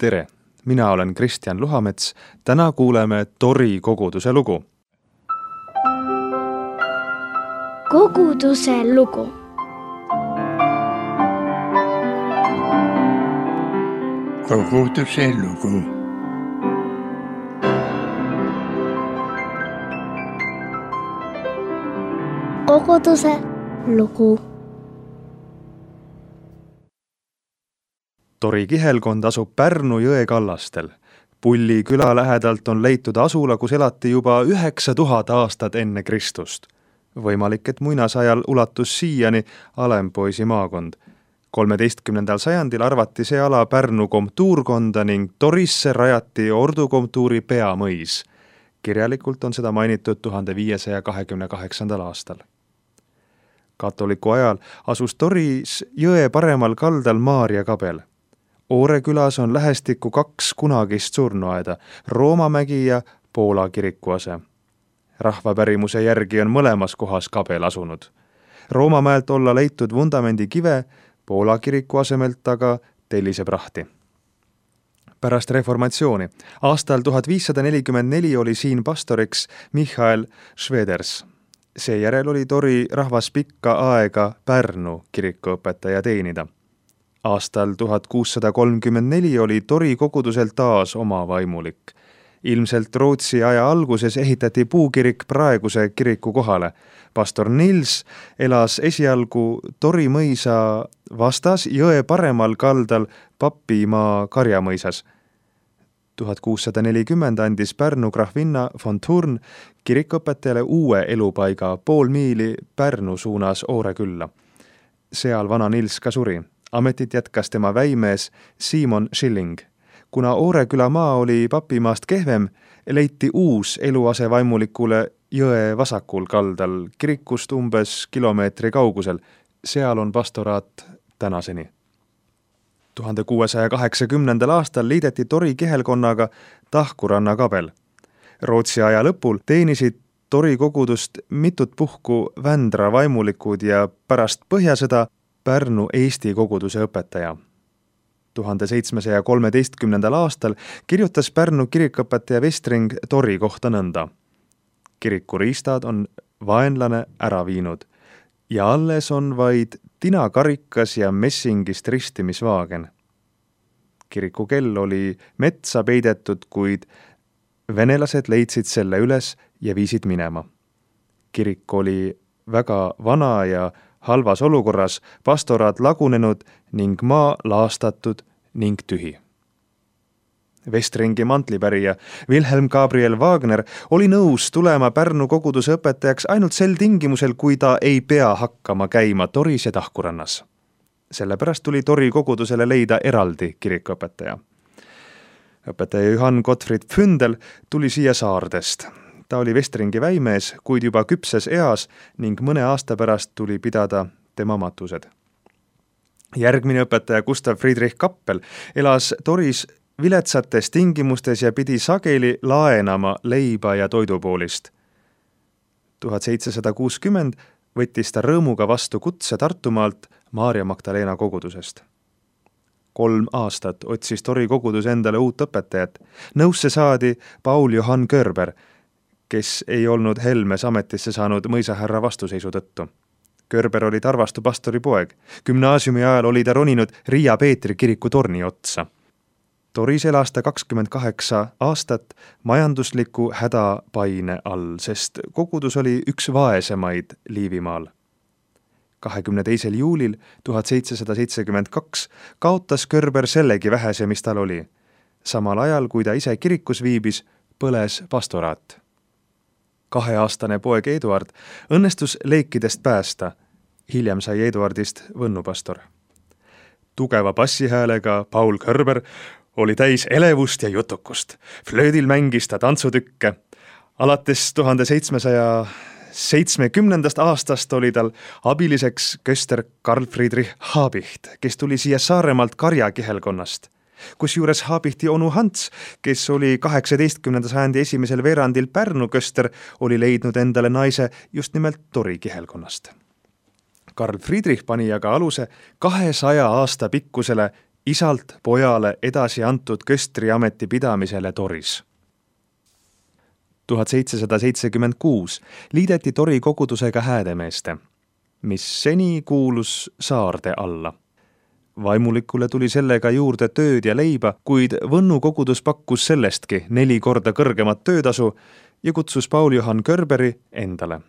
Tere! Mina olen Kristjan Luhamets. Täna kuuleme Tori koguduse lugu. Koguduse lugu. Koguduse lugu. Koguduse lugu. Tori kihelkond asub Pärnu jõe kallastel. Pulli küla lähedalt on leitud asula, kus elati juba 9000 aastat enne Kristust. Võimalik, et muinasajal ulatus siiani Alempoisi maakond. 13. sajandil arvati see ala Pärnu komtuurkonda ning Torisse rajati Ordu komtuuri peamõis. Kirjalikult on seda mainitud 1528. aastal. Katoliku ajal asus Toris jõe paremal kaldal Maarja kabel. Oore külas on lähestikku 2 kunagist surnuaeda, Roomamägi ja Poola kirikuase. Rahvapärimuse järgi on mõlemas kohas kabel asunud. Roomamäelt olla leitud vundamendi kive, Poola kiriku asemelt aga telliseprahti. Pärast reformatsiooni aastal 1544 oli siin pastoriks Michael Schweders. Seejärel oli Tori rahvas pikka aega Pärnu kirikuõpetaja teenida. Aastal 1634 oli Tori kogudusel taas oma vaimulik. Ilmselt Rootsi aja alguses ehitati puukirik praeguse kiriku kohale. Pastor Nils elas esialgu Tori mõisa vastas jõe paremal kaldal Papimaa karjamõisas. 1640 andis Pärnu grahvinna von Thurn kirikuõpetajale uue elupaiga pool miili Pärnu suunas Oore külla. Seal vana Nils ka suri. Ametit jätkas tema väimees Simon Schilling. Kuna Oore küla maa oli Papimaast kehvem, leiti uus eluase vaimulikule jõe vasakul kaldal, kirikust umbes kilomeetri kaugusel. Seal on pastoraat tänaseni. 1680. aastal liideti Tori kihelkonnaga Tahkuranna kabel. Rootsi aja lõpul teenisid Tori kogudust mitut puhku Vändra vaimulikud ja pärast Põhjasõda Pärnu Eesti koguduse õpetaja. 1713. aastal kirjutas Pärnu kirikuõpetaja Vestring Tori kohta nõnda. Kirikuriistad on vaenlane ära viinud ja alles on vaid tinakarikas ja messingist ristimisvaagen. Kiriku kell oli metsa peidetud, kuid venelased leidsid selle üles ja viisid minema. Kirik oli väga vana ja halvas olukorras, pastoraat lagunenud ning maa laastatud ning tühi. Vestringi mantlipärija Wilhelm Gabriel Wagner oli nõus tulema Pärnu koguduse õpetajaks ainult sel tingimusel, kui ta ei pea hakkama käima Toris ja Tahkurannas. Sellepärast tuli Tori kogudusele leida eraldi kirikuõpetaja. Õpetaja Johann Gottfried Pfündel tuli siia Saardest. Ta oli Vestringi väimees, kuid juba küpses eas ning mõne aasta pärast tuli pidada tema matused. Järgmine õpetaja Gustav Friedrich Kappel elas Toris viletsates tingimustes ja pidi sageli laenama leiba ja toidupoolist. 1760 võttis ta rõõmuga vastu kutse Tartumaalt Maarja Magdalena kogudusest. 3 aastat otsis Tori kogudus endale uut õpetajat. Nõusse saadi Paul Johann Körber, kes ei olnud Helmes ametisse saanud mõisahärra vastuseisu tõttu. Körber oli Tarvastu pastori poeg. Gümnaasiumi ajal oli ta roninud Riia Peetri kiriku torni otsa. Toris elas ta 28 aastat majandusliku hädapaine all, sest kogudus oli üks vaesemaid Liivimaal. 22. juulil 1772 kaotas Körber sellegi vähese, mis tal oli. Samal ajal, kui ta ise kirikus viibis, põles pastoraat. 2-aastane poeg Eduard õnnestus leekidest päästa. Hiljem sai Eduardist võnnupastor. Tugeva bassihäälega Paul Körber oli täis elevust ja jutukust. Flöödil mängis ta tantsutükke. Alates 1770. aastast oli tal abiliseks köster Karl Friedrich Habicht, kes tuli siia Saaremaalt Karja kihelkonnast. Kusjuures Habihti onu Hans, kes oli 18. sajandi esimesel veerandil Pärnu köster, oli leidnud endale naise just nimelt Tori kihelkonnast. Karl Friedrich pani aga aluse 200 aasta pikkusele isalt pojale edasi antud köstriameti pidamisele Toris. 1776 liideti Tori kogudusega Häädemeeste, mis seni kuulus Saarde alla. Vaimulikule tuli sellega juurde tööd ja leiba, kuid Võnnu kogudus pakkus sellestki 4 korda kõrgemat töötasu ja kutsus Paul Johann Körberi endale.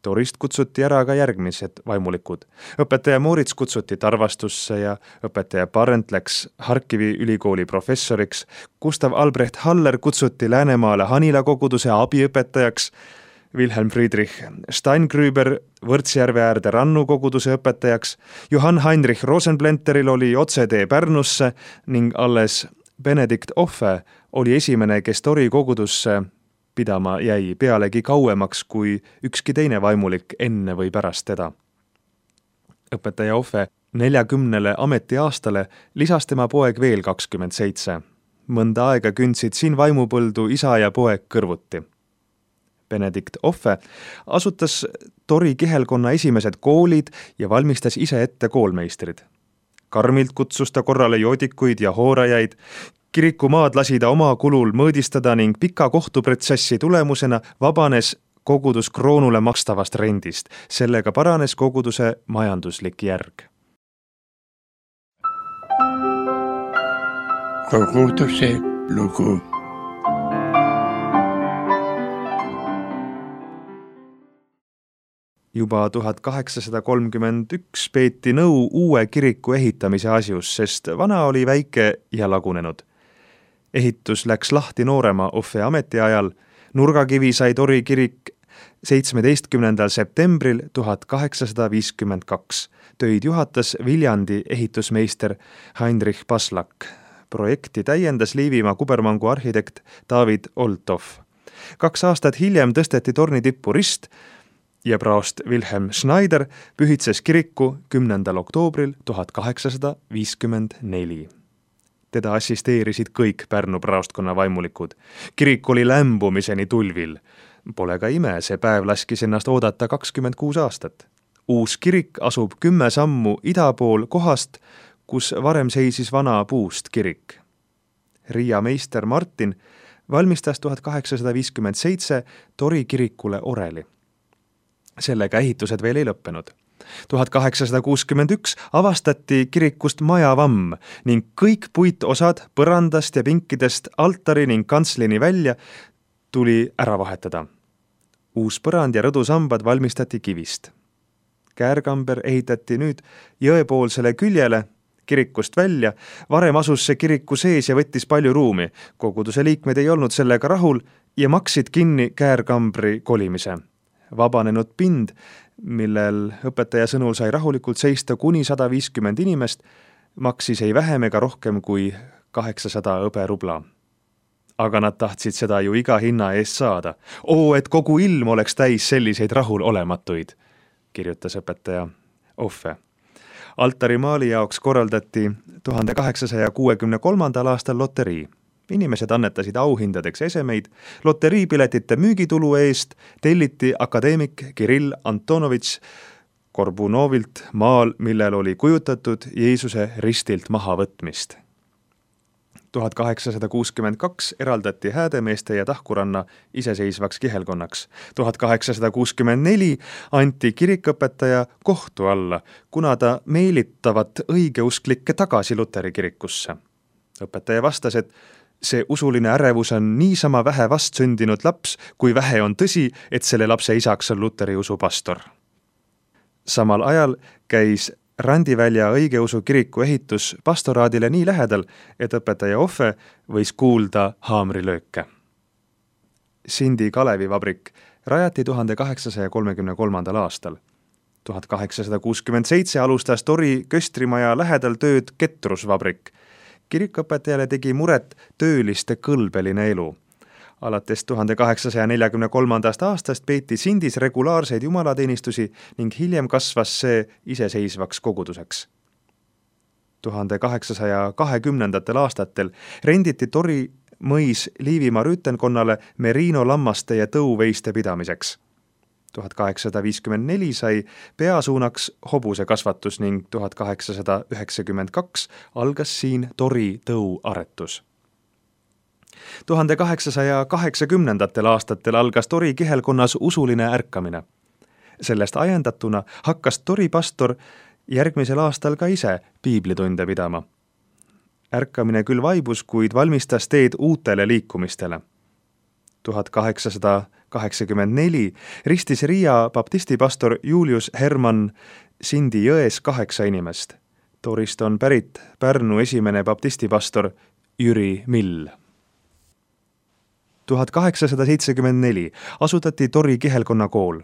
Torist kutsuti ära ka järgmised vaimulikud. Õpetaja Moorits kutsuti Tarvastusse ja õpetaja Parent läks Harkivi ülikooli professoriks. Gustav Albrecht Haller kutsuti Läänemaale Hanila koguduse abiõpetajaks. Wilhelm Friedrich Steingrüber Võrtsjärve äärde Rannu koguduse õpetajaks. Johann Heinrich Rosenblenteril oli otsetee Pärnusse ning alles Benedikt Offe oli esimene, kes Tori kogudusse pidama jäi pealegi kauemaks kui ükski teine vaimulik enne või pärast teda. Õpetaja Offe 40 ametiaastale lisas tema poeg veel 27. Mõnda aega kündsid siin vaimupõldu isa ja poeg kõrvuti. Benedikt Offe asutas Tori kihelkonna esimesed koolid ja valmistas ise ette koolmeistrid. Karmilt kutsus ta korrale joodikuid ja hoorajaid. Kirikumaad lasi ta oma kulul mõõdistada ning pika kohtuprotsessi tulemusena vabanes kogudus kroonule makstavast rendist. Sellega paranes koguduse majanduslik järg. Koguduse lugu. Juba 1831 peeti nõu uue kiriku ehitamise asjus, sest vana oli väike ja lagunenud. Ehitus läks lahti noorema Offe ametiajal. Nurgakivi sai Tori kirik 17. septembril 1852. Töid juhatas Viljandi ehitusmeister Heinrich Paslak. Projekti täiendas Liivimaa kubermangu arhitekt David Olthoff. 2 aastat hiljem tõsteti torni tippu rist ja praost Wilhelm Schneider pühitses kiriku 10. oktoobril 1854. Teda assisteerisid kõik Pärnu praostkonna vaimulikud. Kirik oli lämbumiseni tulvil. Pole ka ime, see päev laskis ennast oodata 26 aastat. Uus kirik asub 10 sammu ida pool kohast, kus varem seisis vana puust kirik. Riia meister Martin valmistas 1857 Tori kirikule oreli. Sellega ehitused veel ei lõppenud. 1861 avastati kirikust majavamm ning kõik puitosad põrandast ja pinkidest altari ning kantslini välja tuli ära vahetada. Uus põrand ja rõdusambad valmistati kivist. Käärkamber ehitati nüüd jõepoolsele küljele kirikust välja. Varem asus see kiriku sees ja võttis palju ruumi. Koguduse liikmed ei olnud sellega rahul ja maksid kinni käärkambri kolimise. Vabanenud pind, millel õpetaja sõnul sai rahulikult seista kuni 150 inimest, maksis ei vähem ega rohkem kui 800 hõberubla. Aga nad tahtsid seda ju iga hinna eest saada. Et kogu ilm oleks täis selliseid rahulolematuid, kirjutas õpetaja Offe. Altarimaali jaoks korraldati 1863. aastal loterii. Inimesed annetasid auhindadeks esemeid. Loteriipiletite müügitulu eest telliti akadeemik Kirill Antonovitš Korbunovilt maal, millel oli kujutatud Jeesuse ristilt mahavõtmist. 1862 eraldati Häädemeeste ja Tahkuranna iseseisvaks kihelkonnaks. 1864 anti kirikõpetaja kohtu alla, kuna ta meelitavat õigeusklikke tagasi Luteri kirikusse. Õpetaja vastas, et see usuline ärevus on niisama vähe vastsündinud laps, kui vähe on tõsi, et selle lapse isaks on Luteri usu pastor. Samal ajal käis Randivälja õigeusu kiriku ehitus pastoraadile nii lähedal, et õpetaja Offe võis kuulda haamrilööke. Sindi Kalevivabrik rajati 1833. aastal. 1867 alustas Tori köstrimaja lähedal tööd Ketrusvabrik. Kirikõpetajale tegi muret tööliste kõlbeline elu. Alates 1843. aastast peeti Sindis regulaarseid jumalateenistusi ning hiljem kasvas see iseseisvaks koguduseks. 1820. aastatel renditi Tori mõis Liivimaa rüütenkonnale Merino lammaste ja tõuveiste pidamiseks. 1854 sai peasuunaks hobuse kasvatus ning 1892 algas siin tori tõuaretus. 1880. aastatel algas tori kihelkonnas usuline ärkamine. Sellest ajendatuna hakkas tori pastor järgmisel aastal ka ise piiblitunde pidama. Ärkamine küll vaibus, kuid valmistas teed uutele liikumistele. 1884 ristis Riia baptistipastor Julius Hermann Sindi jões 8 inimest. Torist on pärit Pärnu esimene baptistipastor Jüri Mill. 1874 asutati Tori kihelkonna kool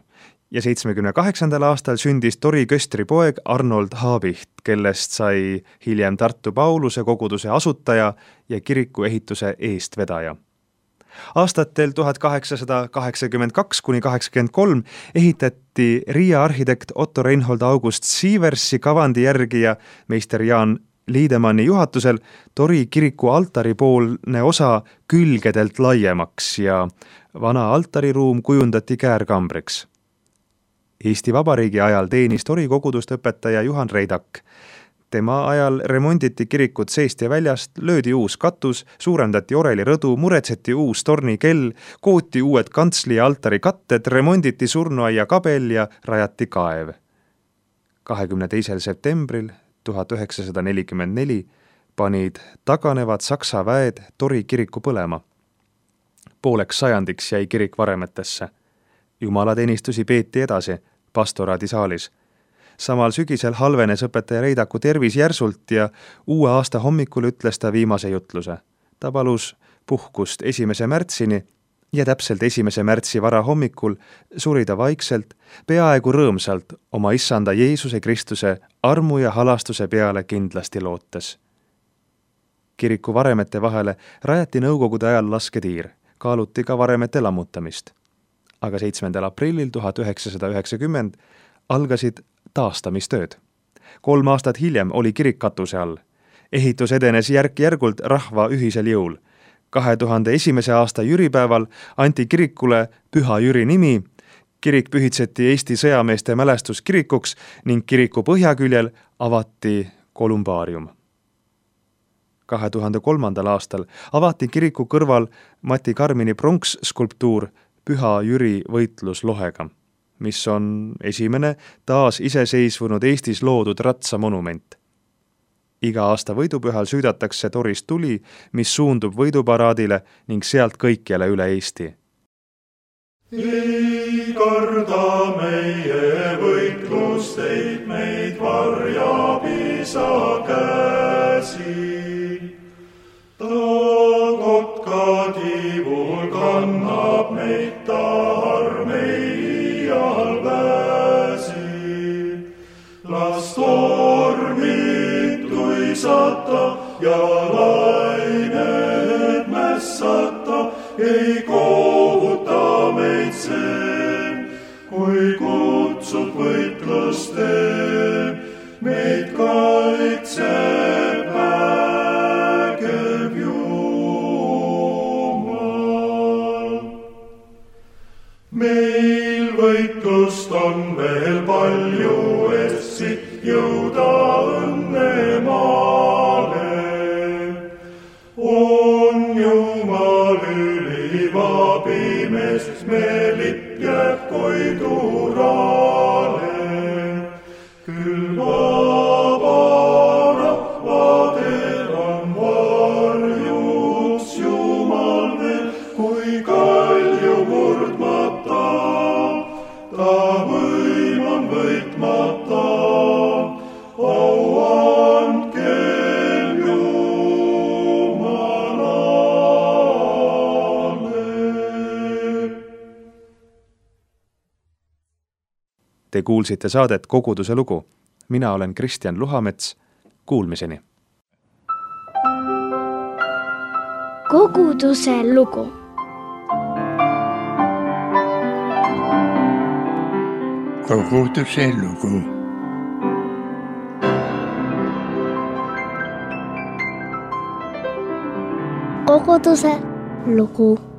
ja 78. aastal sündis Tori köstri poeg Arnold Haabicht, kellest sai hiljem Tartu Pauluse koguduse asutaja ja kiriku ehituse eestvedaja. Aastatel 1882–83 ehitati Riia arhitekt Otto Reinhold August Sieversi kavandi järgi ja meister Jaan Liidemanni juhatusel Tori kiriku altaripoolne osa külgedelt laiemaks ja vana altariruum kujundati käärkambriks. Eesti Vabariigi ajal teenis Tori kogudust õpetaja Juhan Reidak. Tema ajal remonditi kirikut seest ja väljast, löödi uus katus, suurendati orelirõdu, muretseti uus tornikell, kooti uued kantsli ja altari katted, remonditi surnuaia kabel ja rajati kaev. 22. septembril 1944 panid taganevad Saksa väed Tori kiriku põlema. Pooleks sajandiks jäi kirik varemetesse. Jumalateenistusi peeti edasi pastoraadisaalis. Samal sügisel halvenes õpetaja Reidaku tervis järsult ja uue aasta hommikul ütles ta viimase jutluse. Ta palus puhkust 1. märtsini ja täpselt 1. märtsi varahommikul suri ta vaikselt, peaaegu rõõmsalt oma issanda Jeesuse Kristuse armu ja halastuse peale kindlasti lootes. Kiriku varemete vahele rajati nõukogude ajal lasketiir, kaaluti ka varemete lammutamist. Aga 7. aprillil 1990 algasid taastamistööd. 3 aastat hiljem oli kirik katuse all. Ehitus edenes järk-järgult rahva ühisel jõul. 2001. aasta jüripäeval anti kirikule Püha Jüri nimi, kirik pühitseti Eesti sõjameeste mälestuskirikuks ning kiriku põhjaküljel avati kolumbaarium. 2003. aastal avati kiriku kõrval Mati Karmini pronksskulptuur Püha Jüri võitluslohega, mis on esimene taas iseseisvunud Eestis loodud ratsamonument. Iga aasta võidupühal süüdatakse Torist tuli, mis suundub võiduparaadile ning sealt kõikjale üle Eesti. Ei karda meie võitlusteid, meid varjab isa käsi. Ta kotka tiivul kannab meid, ta armeial pääsi. Las tormid tuisata ja lained mässata, ei kohuta meid see, kui kutsub võitlusteen, meid kaitseb vägev Jumal. Meil võitlust on veel palju, et siit jõuda õnnemaale. On Jumal üliv abimees, me lipp jääb koidurale. Küll vaba rahvadel on varjuks Jumal veel, kui kalju murdmata, ta võim on võitmata. Au andkem Jumalale. Te kuulsite saadet Koguduse lugu. Mina olen Kristjan Luhamets. Kuulmiseni. Koguduse lugu. Koguduse lugu. Koguduse lugu.